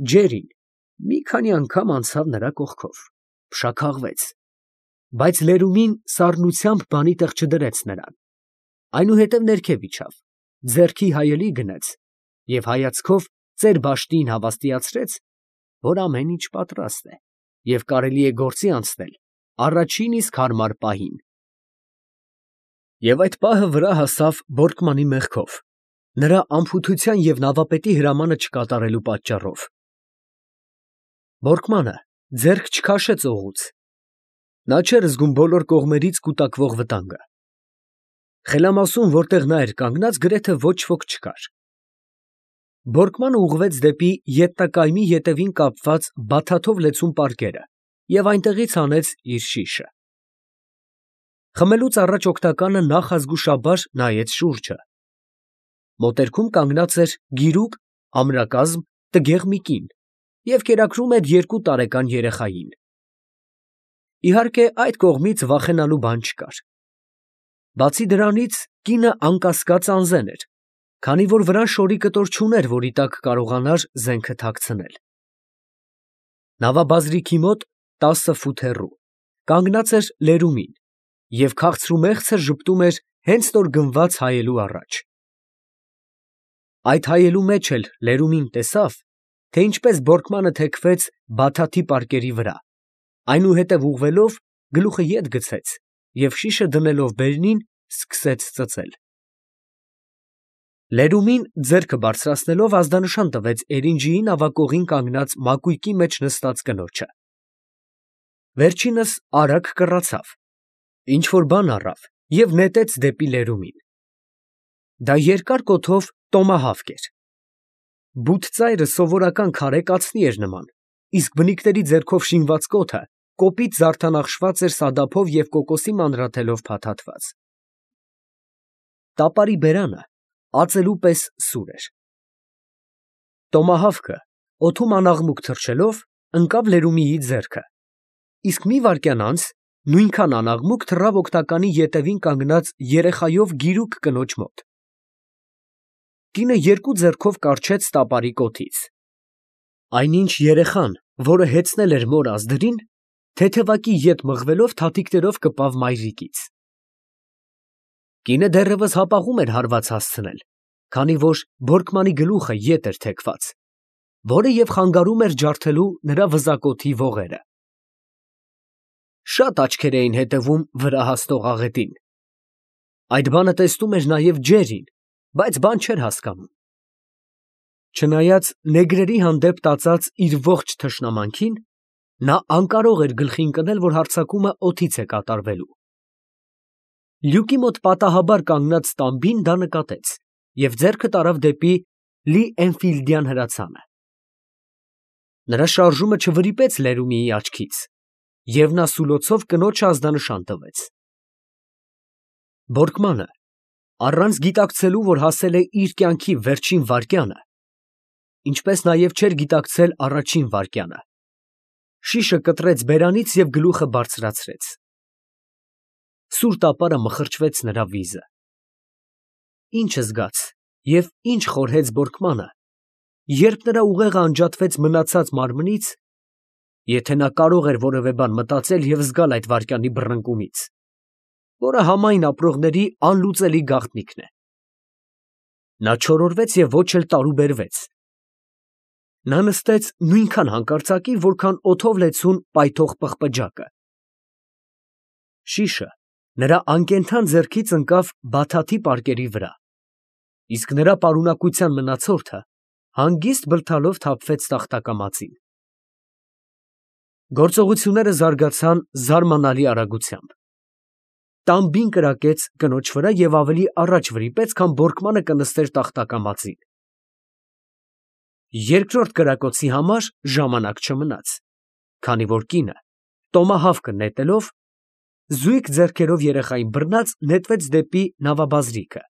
ջերին, մի քանի անգամ անցավ նրա կողքով, փշաքաղվեց, բայց լերումին սառնությամբ բանի տեղ չդրեց նրան, այնուհետև ներքև իջավ, ձեռքի հայելի գնեց և հայացքով ծեր բաշտին հավաստիացրեց, որ ամեն ինչ պատրաստ է և կարելի է գործի անցնել առաջին իսկ հարմար պահին։ Եվ այդ պահը վրա հասավ Բորկմանի մեղքով, նրա անփութության և նավապետի հրամանը չկատարելու պատճառով։ Բորկմանը ձեռք չքաշեց օղուց, նա չէր զգում բոլոր կողմերից կուտակվող վտանգը։ Խելամասում, որտեղ նա էր կանգնած, գրեթե ոչ ոք չկար։ Բորկմանը ուղղվեց դեպի ետնակայմի ետևին կապված բաթաթով լեցուն պարկերը և այնտեղից հանեց իր շիշը։ Խմելուց առաջ օգնականը նախազգուշաբար նայեց շուրջը։ Մոտերքում կանգնած էր գիրուկ, ամրակազմ, տգեղ մի կին և կերակրում էր 2 տարեկան երեխային։ Իհարկե, այդ կողմից վախենալու բան չկար։ Բացի դրանից, կինը անկասկած անզեն էր, քանի որ վրան շորի կտոր չուներ, որի տակ կարողանար զենքը թաքցնել։ Նավաբազրիքի մոտ 10 ֆուտ հեռու կանգնած էր լերումին և քաղցրումեղցը ժպտում էր հենց նոր գնված հայելու առաջ։ Այդ հայելու մեջ էլ լերումին տեսավ, թե ինչպես Բորկմանը թեքվեց բաթաթի պարկերի վրա, այնուհետև ուղղվելով գլուխը ետ գցեց և շիշը դնելով բերնին սկսեց ծծել։ Լերումին ձեռքը բարձրացնելով ազդանշան տվեց էրինջիի նավակողին կանգնած մակույկի մեջ նստած կնոջը։ Վերջինս արագ կռացավ, ինչ֊որ բան առավ և նետեց դեպի լերումին։ Դա երկար կոթով տոմահավք էր։ Բութ ծայրը սովորական քարե կացնի էր նման, իսկ բնիկների ձեռքով շինված կոթը կոպիտ զարդանախշված էր սադափով և կոկոսի մանրաթելով փաթաթված։ Տապարի բերանը ածելու պես սուր էր։ Տոմահավքը օդում անաղմուկ թռչելով ընկավ լերումիի ձեռքը, իսկ մի վայրկյան անց նույնքան անաղմուկ թռավ օգնականի ետևին կանգնած երեխայով գիրուկ կնոջ մոտ։ Կինը 2 ձեռքով կառչեց տապարի կոթից։ Այնինչ երեխան, որը հեծնել էր մոր ազդրին, թեթևակի ետ մղվելով թաթիկներով կպավ մայրիկից։ Կինը դեռևս հապաղում էր հարված հասցնել, քանի որ Բորկմանի գլուխը ետ էր թեքված, որը և խանգարում էր ջարդելու նրա վզակոթի ողերը։ Շատ աչքեր էին հետևում վրա հասնող աղետին։ Այդ բանը տեսնում էր նաև ջերին, բայց բան չէր հասկանում։ Չնայած նեգրերի հանդեպ տածած իր ողջ թշնամանքին, նա անկարող էր գլխի ընկնել, որ հարձակումը օդից է կատարվելու։ Լյուկի մոտ պատահաբար կանգնած տամբին դա նկատեց և ձեռքը տարավ դեպի Լի Էնֆիլդյան հրացանը։ Նրա շարժումը չվրիպեց լերումիի աչքից, և նա սուլոցով կնոջը ազդանշան տվեց։ Բորկմանը, առանց գիտակցելու, որ հասել է իր կյանքի վերջին վայրկյանը, ինչպես նաև չէր գիտակցել առաջին վայրկյանը, շիշը կտրեց բերանից և գլուխը բարձրացրեց։ Սուր տապարը մխրճվեց նրա վիզը։ Ինչ զգաց և ինչ խորհեց Բորկմանը, երբ նրա ուղեղը անջատվեց մնացած մարմնից, եթե նա կարող էր որևէ բան մտածել և զգալ այդ վայրկյանի բռնկումից, որը համայն ապրողների անլուծելի գաղտնիքն է։ Նա չորորվեց և ոչ էլ տարուբերվեց։ Նա նստեց նույնքան հանկարծակի, որքան օդով լեցուն պայթող պղպջակը։ Շիշը նրա անկենդան ձեռքից ընկավ բաթաթի պարկերի վրա, իսկ նրա պարունակության մնացորդը հանգիստ բլթալով թափվեց տախտակամածին։ Գործողությունները զարգացան զարմանալի արագությամբ։ Տամբին կրակեց կնոջ վրա և ավելի առաջ վրիպեց, քան Բորկմանը կնստեր տախտակամածին։ Երկրորդ կրակոցի համար ժամանակ չմնաց, քանի որ կինը, տոմահավքը նետելով, զույգ ձեռքերով երեխային բռնած նետվեց դեպի նավաբազրիքը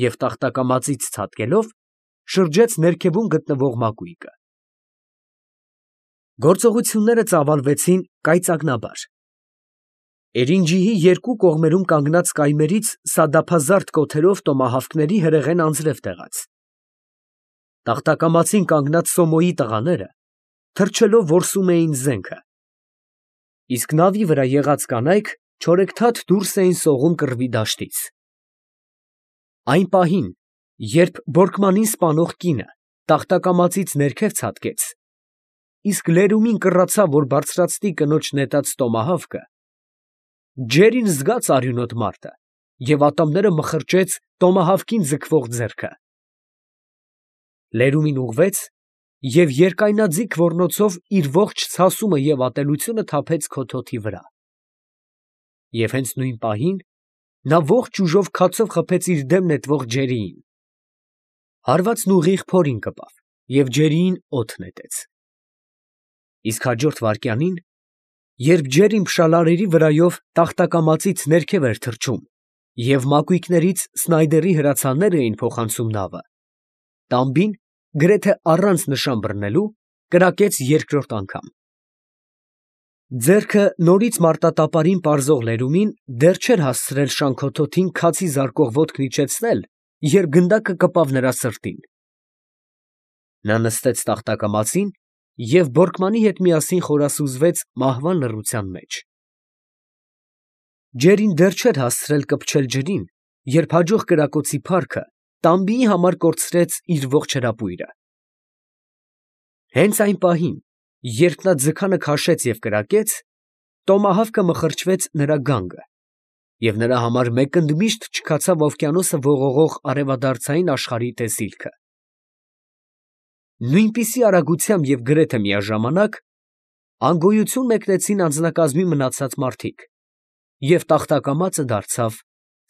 և տախտակամածից ցատկելով շրջեց ներքևում գտնվող մակույկը։ Գործողությունները ծավալվեցին կայծակնաբար։ Էրինջիի 2 կողմերում կանգնած կայմերից սադափազարդ կոթերով տոմահավքների հրեղեն անձրև տեղաց։ Տախտակամածին կանգնած Սոմոյի տղաները թռչելով որսում էին զենքը, իսկ նավի վրա եղած կանայք չորեքթաթ դուրս էին սողում կռվի դաշտից։ Այն պահին, երբ Բորկմանին սպանող կինը տախտակամածից ներքև ցատկեց, իսկ լերումին կռացավ, որ բարձրացնի կնոջ նետած տոմահավկը, Ջերին զգաց արյունոտ մարտը և ատամները մխրճեց տոմահավկին ձգվող ձեռքը։ Լերումին ուղղվեց և երկայնաձիգ ոռնոցով իր ողջ ցասումը և ատելությունը թափեց քոթոթի վրա։ Եվ հենց նույն պահին նա ողջ ուժով քացով խփեց իր դեմ նետվող Ջերիին։ Հարվածն ուղիղ փորին կպավ և Ջերիին օդ նետեց։ Իսկ հաջորդ վայրկյանին, երբ Ջերին փշալարերի վրայով տախտակամածից ներքև էր թռչում և մակույկներից Սնայդերի հրացաններ էին փոխանցում նավը, տամբին, գրեթե առանց նշան բռնելու, կրակեց երկրորդ անգամ։ Ձեռքը նորից մարտատապարին պարզող լերումին դեռ չէր հասցրել շանքոթոթին քացի զարկող ոտքն իջեցնել, երբ գնդակը կպավ նրա սրտին։ Նա նստեց տախտակամածին և Բորկմանի հետ միասին խորասուզվեց մահվան լռության մեջ։ Ջերին դեռ չէր հասցրել կպչել ջրին, երբ հաջող կրակոցի փառքը տամբիի համար կորցրեց իր ողջ հրապույրը։ Հենց այն պահին, երբ նա ձգանը քաշեց և կրակեց, տոմահավկը մխրճվեց նրա գանգը, և նրա համար մեկ ընդմիշտ չքացավ օվկիանոսը ողողող արևադարձային աշխարհի տեսիլքը։ Նույնպիսի արագությամբ և գրեթե միաժամանակ անգոյություն մեկնեցին անձնակազմի մնացած մարդիկ, և տախտակամածը դարձավ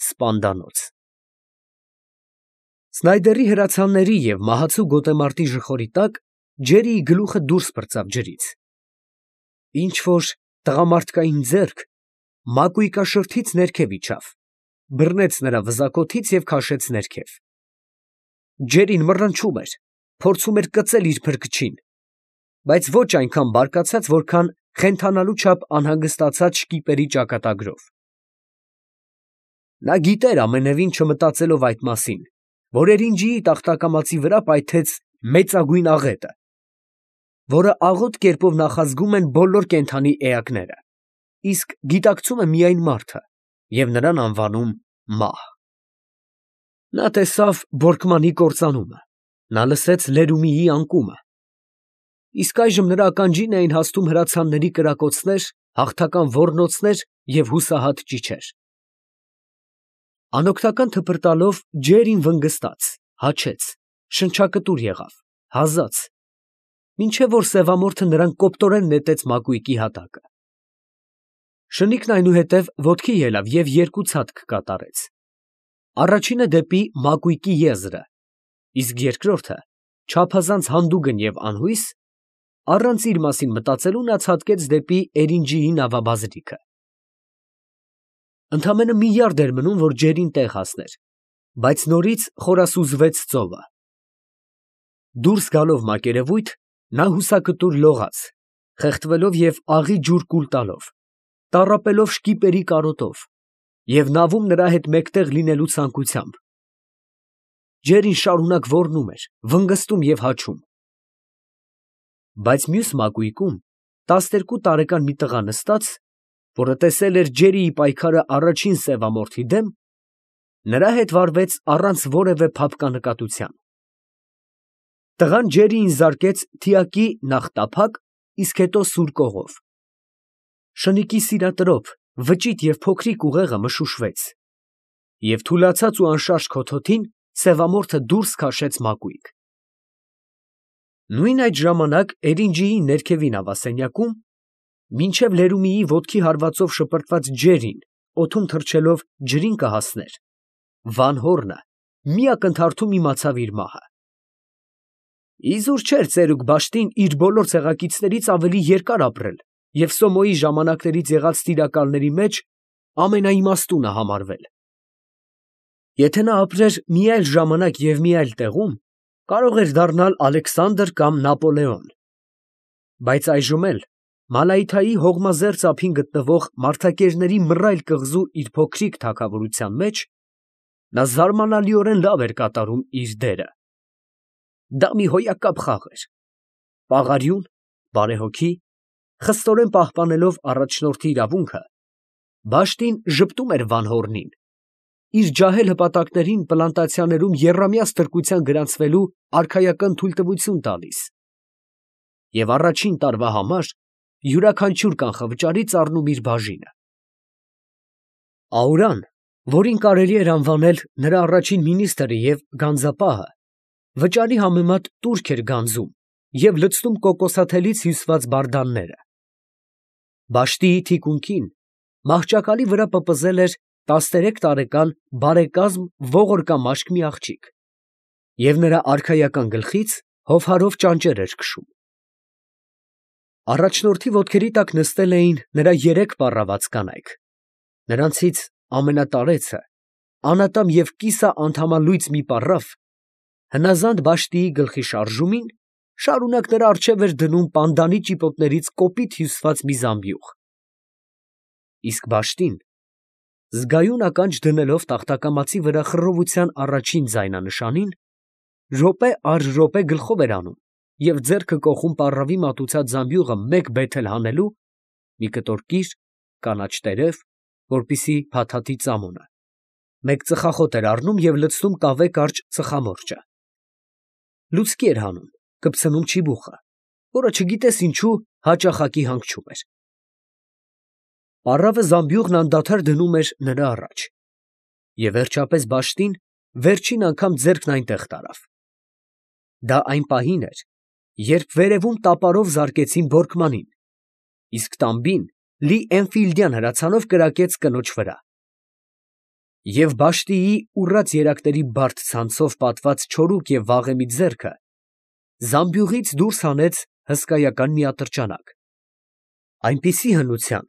սպանդանոց։ Սնայդերի հրացանների և մահացու գոտեմարտի ժխորի տակ Ջերիի գլուխը դուրս պրծավ ջրից։ Ինչ֊որ տղամարդկային ձեռք մակույկաշրթից ներքև իջավ, բռնեց նրա վզակոթից և քաշեց ներքև։ Ջերին մռնչում էր, փորձում էր կծել իր փրկչին, բայց ոչ այնքան բարկացած, որքան խենթանալու չափ անհանգստացած շկիպերի ճակատագրով։ Նա գիտեր ամենևին չմտածելով այդ մասին, որ Էրինջիի տախտակամածի վրա պայթեց մեծագույն աղետը, որը աղոտ կերպով նախազգում են բոլոր կենդանի էակները, իսկ գիտակցում է միայն մարդը և նրան անվանում մահ։ Նա տեսավ Բորկմանի կործանումը, նա լսեց Լերումիի անկումը, իսկ այժմ նրա ականջին էին հասնում հրացանների կրակոցներ, հաղթական ոռնոցներ և հուսահատ ճիչեր։ Անօգնական թփրտալով Ջերին վնգստաց, հաչեց, շնչակտուր եղավ, հազաց, մինչև որ սևամորթը նրան կոպտորեն նետեց մակույկի հատակը։ Շնիկն այնուհետև ոտքի ելավ և երկու ցատկ կատարեց. առաջինը դեպի մակույկի եզրը, իսկ երկրորդը, չափազանց հանդուգն և անհույս, առանց իր մասին մտածելու նա ցատկեց դեպի Էրինջիի նավաբազրիքը։ Ընդամենը մի յարդ էր մնում, որ Ջերին տեղ հասներ, բայց նորից խորասուզվեց ծովը։ Դուրս գալով մակերևույթ, նա հուսակտուր լողաց, խեղդվելով և աղի ջուր կուլ տալով, տառապելով շկիպերի կարոտով և նավում նրա հետ մեկտեղ լինելու ցանկությամբ։ Ջերին շարունակ ոռնում էր, վնգստում և հաչում։ Բայց մյուս մակույկում 12 տարեկան մի տղա նստած, որը տեսել էր Ջերիի պայքարը առաջին սևամորթի դեմ, նրա հետ վարվեց առանց որևէ փափկանկատության։ Տղան Ջերիին զարկեց թիակի նախ տափակ, իսկ հետո սուր կողով։ Շնիկի սիրատրոփ, վճիտ և փոքրիկ ուղեղը մշուշվեց, և թուլացած ու անշարժ քոթոթին սևամորթը դուրս քաշեց մակույկ։ Նույն այդ ժամանակ Էրինջիի ներքևի նավասենյակում, մինչև Լերումիի ոտքի հարվածով շպրտված Ջերին օդում թռչելով ջրին կհասներ, Վան Հորնը մի ակնթարթում իմացավ իր մահը։ Իզուր չէր ծերուկ Բաշտին իր բոլոր ցեղակիցներից ավելի երկար ապրել և Սոմոյի ժամանակներից եղած տիրակալների մեջ ամենաիմաստունը համարվել։ Եթե նա ապրեր մի այլ ժամանակ և մի այլ տեղում, կարող էր դառնալ Ալեքսանդր կամ Նապոլեոն, բայց այժմ էլ Մալայթայի հողմազերծ ափին գտնվող մարդակերների մռայլ կղզու իր փոքրիկ թագավորության մեջ նա զարմանալիորեն լավ էր կատարում իր դերը։ Դա մի հոյակապ խաղ էր։ Պաղարյուն, բարեհոգի, խստորեն պահպանելով առաջնորդի իրավունքը, Բաշտին ժպտում էր Վանհորնին, իր ջահել հպատակներին պլանտացիաներում եռամյա ստրկության գրանցվելու արքայական թույլտվություն տալիս, և առաջին տարվա համար յուրաքանչյուր կանխավճարից առնում իր բաժինը։ Աուրան, որին կարելի էր անվանել նրա առաջին մինիստրը և գանձապահը, վճարի համեմատ տուրք էր գանձում և լցնում կոկոսաթելից հյուսված բարդանները։ Բաշտիի թիկունքին մահճակալի վրա պպզել էր 13 տարեկան բարեկազմ ողորկամաշկ մի աղջիկ, և նրա արքայական գլխից հովհարով ճանճեր էր քշում։ Առաջնորդի ոտքերի տակ նստել էին նրա 3 պառաված կանայք, նրանցից ամենատարեցը, անատամ և կիսաանդամալույծ մի պառավ, հնազանդ Բաշտիի գլխի շարժումին, շարունակ նրա առջև էր դնում պանդանի ճիպոտներից կոպիտ հյուսված մի զամբյուղ, իսկ Բաշտին, զգայուն ականջ դնելով տախտակամածի վրա խռովության առաջին ձայնանշանին, րոպե առ րոպե գլխով էր անում և ձեռքը կոխում պառավի մատուցած զամբյուղը մեկ բեթել հանելու, մի կտոր կիր, կանաչ տերև, որպեսզի փաթաթի ծամոնը, մեկ ծխախոտ էր առնում և լցնում կավե կարճ ծխամորճը, լուցկի էր հանում, կպցնում չիբուխը, որը չգիտես ինչու հաճախակի հանգչում էր։ Պառավը զամբյուղն անդադար դնում էր նրա առաջ, և վերջապես Բաշտին վերջին անգամ ձեռքն այնտեղ տարավ։ Դա այն պահին էր, երբ վերևում տապարով զարկեցին Բորկմանին, իսկ տամբին լի Էնֆիլդյան հրացանով կրակեց կնոջ վրա։ Եվ Բաշտիի ուռած երակների բարդ ցանցով պատված չորուկ և վաղեմի ձեռքը զամբյուղից դուրս հանեց հսկայական մի ատրճանակ, այնպիսի հնության,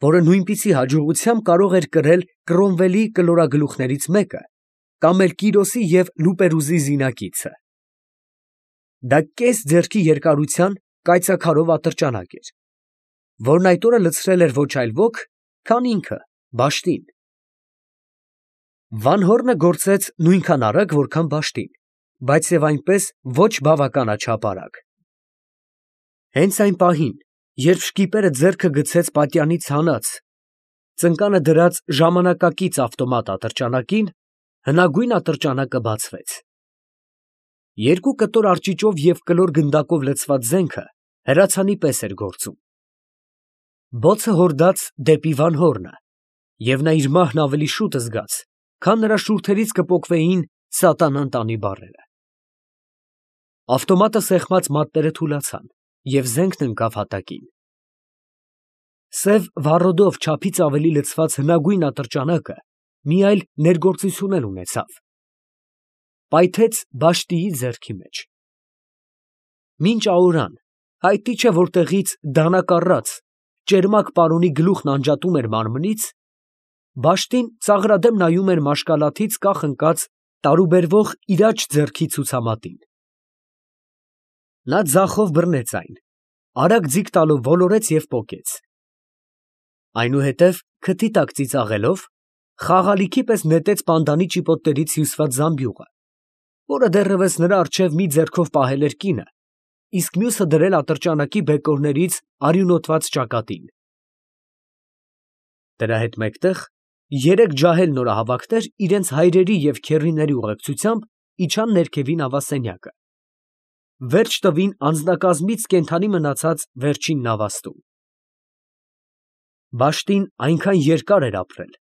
որը նույնպիսի հաջողությամբ կարող էր կրել Կրոմվելի կլորագլուխներից մեկը կամ էլ Կիրոսի և Լուպերուզի զինակիցը։ Դա կես ձեռքի երկարության կայծաքարով ատրճանակ էր, որն այդ օրը լցրել էր ոչ այլ ոք, քան ինքը Բաշտին։ Վանհորնը գործեց նույնքան արագ, որքան Բաշտին, բայց և այնպես ոչ բավականաչափ արագ։ Հենց այն պահին, երբ շկիպերը ձեռքը գցեց պատյանից հանած, ծնկանը դրած ժամանակակից ավտոմատ ատրճանակին, հնագույն ատրճանակը բացվեց։ Երկու կտոր արճիճով և կլոր գնդակով լցված զենքը հրացանի պես էր գործում։ Բոցը հորդաց դեպի Վանհորնը, և նա իր մահն ավելի շուտ զգաց, քան նրա շուրթերից կպոկվեին սատանան տանի բառերը։ Ավտոմատը սեղմած մատները թուլացան, և զենքն ընկավ հատակին։ Սև վառոդով չափից ավելի լցված հնագույն ատրճանակը մի այլ ներգործություն էլ ունեցավ. պայթեց Բաշտիի ձեռքի մեջ։ Մինչ Աուրան, հայտնի չէ որտեղից դանակ առած, ճերմակ պարոնի գլուխն անջատում էր մարմնից, Բաշտին ծաղրադեմ նայում էր մաշկալաթից կախ ընկած տարուբերվող իր աջ ձեռքի ցուցամատին։ Նա ձախով բռնեց այն, արագ ձիգ տալով ոլորեց և պոկեց։ Այնուհետև քթի տակ ծիծաղելով, խաղալիքի պես նետեց պանդանի ճիպոտներից հյուսված զամբյուղը, որը դեռևս նրա առջև մի ձեռքով պահել էր կինը, իսկ մյուսը դրել ատրճանակի բեկորներից արյունոտված ճակատին։ Դրա հետ մեկտեղ երեք ջահել նորահավաքներ իրենց հայրերի և քեռիների ուղեկցությամբ իջան ներքևին նավասենյակը, վերջ տվին անձնակազմից կենդանի մնացած վերջին նավաստում։ Բաշտին այնքան երկար էր ապրել,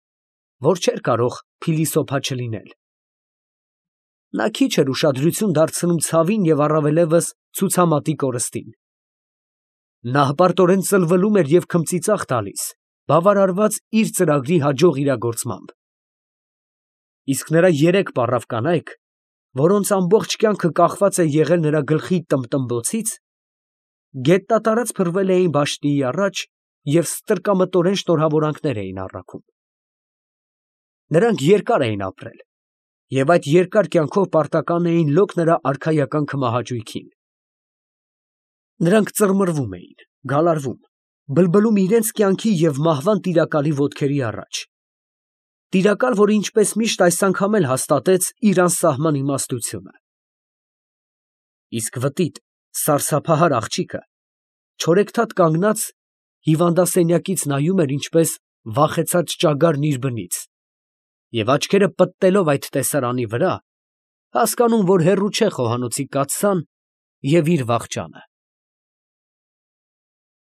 որ չէր կարող փիլիսոփա չլինել։ Նա քիչ էր ուշադրություն դարձնում ցավին և առավելևս ցուցամատի կորստին։ Նա հպարտորեն ծլվելում էր և քմծիծաղ տալիս, բավարարված իր ծրագրի հաջող իրագործմամբ։ Իսկ նրա 3 պառավ կանայք, որոնց ամբողջ կյանքը կախված է եղել նրա գլխի տմբտմբոցից, գետնատարած փռվել էին Բաշտիի առաջ և ստրկամտորեն շնորհավորանքներ էին առաքում։ Նրանք երկար էին ապրել, և այդ երկար կյանքով պարտական էին լոկ նրա արքայական քմահաճույքին։ Նրանք ծռմռվում էին, գալարվում, բլբլում իրենց կյանքի և մահվան տիրակալի ոտքերի առաջ, տիրակալ, որը ինչպես միշտ այս անգամ էլ հաստատեց իր անսահման իմաստությունը։ Իսկ վտիտ, սարսափահար աղջիկը չորեքթաթ կանգնած հիվանդասենյակից նայում էր ինչպես վախեցած ճագարն իր բնից, և աչքերը պտտելով այդ տեսարանի վրա, հասկանում, որ հեռու չէ խոհանոցի կաթսան և իր վախճանը։